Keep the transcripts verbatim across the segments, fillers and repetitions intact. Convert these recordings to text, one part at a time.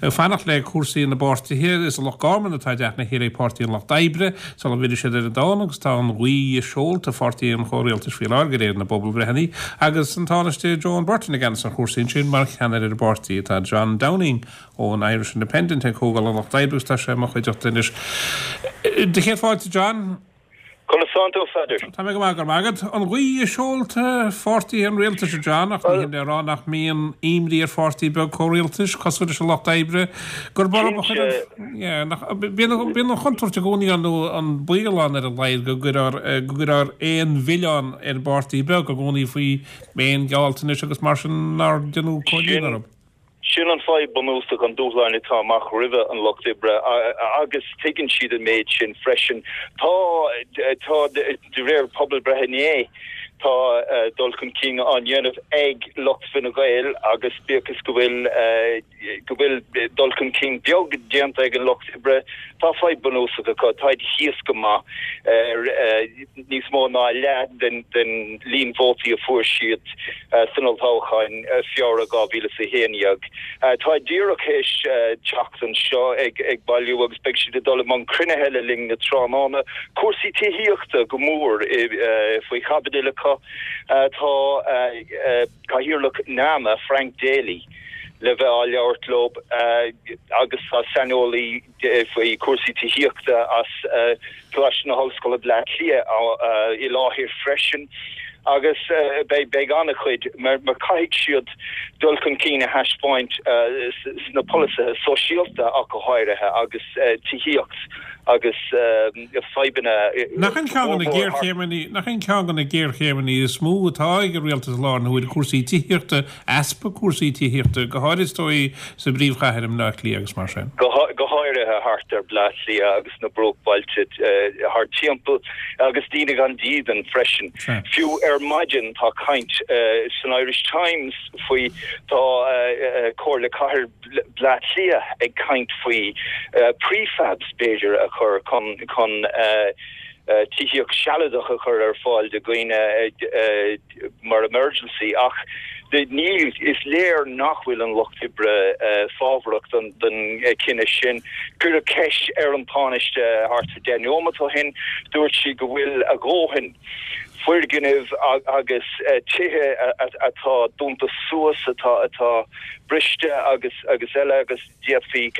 Ag fanacht le cúrsaí na bpáirtithe, is i Loch Garman atá i dteach na chéile ag Páirtí an Lucht Oibre sula bhfillfidh siad ar an domhan agus tá an ghaoth i seolta pháirtí an chomhrialtais faoi láthair de réir na bpobalbhreitheanna agus an Tánaiste Joan Burton i gceannas ar chúrsaí ansin mar cheannaire ar an bpáirtí. Tá John Downing ón Irish Independent ag Comhdháil an Lucht Oibre agus tá sé i mo chuideachta anois. Do chéad fáilte, John. Conas tánn tú, a Pheadair? Tá mé go maith, go raibh maith agat. An ghaoth i seolta pháirtithe an rialtais, a John, ach ní hin le rá nach mbíonn imní ar pháirtí beag comhrialtais, cosúil leis an Lucht Oibre, gurb orthu a chuireann, nach, bíonn an chontúirt i gcónaí ann nó an baol ann ar a laghad go gcuirfear, go gcuirfear aon mhilleán ar an bpáirtí beag i gcónaí faoi aon ghealltanais agus mar sin nár deineadh comhlíonadh orthu. Sin an fadhb bunúsach, an dúshlán atá amach roimhe an Lucht Oibre agus tuigeann siad an méid sin freisin. Tá, tá, de réir pobalbhreith inné, tá dul chun cinn á dhéanamh ag lucht Fine Gael agus bíodh is go bhfuil, go bhfuil dul chun cinn beag déanta ag an Lucht Oibre, tá fadhb bunúsach acu, táid thíos go maith ar níos mó ná a leath den, den líon vótaí a fuair siad. san olltoghchán Feabhra dhá mhíle is a haon dhéag. Tá díreach théis teacht anseo ag bailiú agus beidh siad ag dul i mbun cruinnithe le linn na tráthnóna. Cúrsaí tithíochta go mór faoi chaibidil acu. Tá Cathaoirleach NAMA, Frank Daly, le bheith á labhairt leo agus tá saineolaí faoi chúrsaí tithíochta as Coláiste na hOllscoile Bleá Cliath i láthair freisin agus beidh an-chuid mar caithfidh siad dul chun cinn a thaispeáint sna polasaithe sóisialta ach go háirithe agus tithíocht agus fadhbanna Nach in ceann de na géarchéimeanna, nach in ceann de na géarchéimeanna is mó atá ag an rialtas i láthair na huaire, cúrsaí tithíochta, easpa cúrsaí tithíochta, go háirid is dóigh sa bpríomhchathair i mBleá Cliath agus mar sin. Go háirithe thart ar Bleá Cliath agus na bruachbhailte thart timpeall agus daoine gan dídean freisin. Fiú ar maidin tá caint san Irish Times faoi, tá Comhairle Cathair Bleá Cliath ag caint faoi prefabs b'fhéidir a chur chun chun tithíocht sealadach a chur ar fáil do dhaoine mar emergency ach níl, is léir nach bhfuil an Lucht Oibre fábharach don chinneadh sin. Cuireadh ceist ar an Tánaiste thart ar deich neomat ó shin, dúirt sí go bhfuil a dhóthain foirgnimh agus tithe atá dúnta suas, atá atá briste agus agus eile agus d'fhéadfaí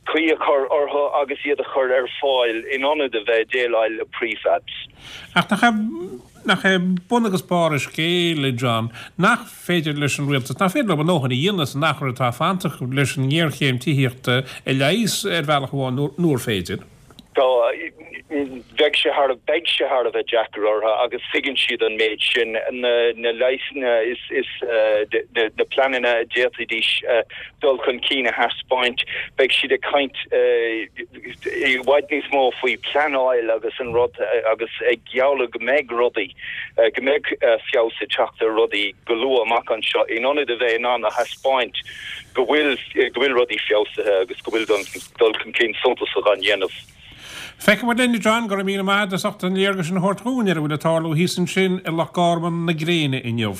caoi a chur orthu agus iad a chur ar fáil in ionad a bheith ag déileáil le prefabs. Ach nach é, nach é bun agus barr an scéil, a John, nach féidir leis an rialtas, nach féidir leo a ndóthain a dhéanamh san achar atá fanta acu leis an ngéarchéim tithíochta a leigheas ar bhealach amháin nuair féidir? Tá, bheadh sé thar, beidh sé thar a bheith deacair orthu agus tuigeann siad an méid sin. Na, na leigheasanna is, is na, na pleananna a d'fhéadfaidís dul chun cinn a thaispeáint, beidh siad ag caint i bhfad níos mó faoi pleanáil agus an rud agus ag gealladh go mbeidh rudaí, go mbeidh feabhas ag teacht ar rudaí go luath amach anseo in ionad a bheith in ann a thaispeáint go bhfuil, go bhfuil rudaí feabhsaithe agus go bhfuil dul chun cinn suntasach á dhéanamh. Feicfidh muid linn, a John, go raibh míle maith agat as ucht an léargas sin a thabhairt dhúinn ar a bhfuil ag tarlú thíos ansin i Loch Garman na gréine inniu.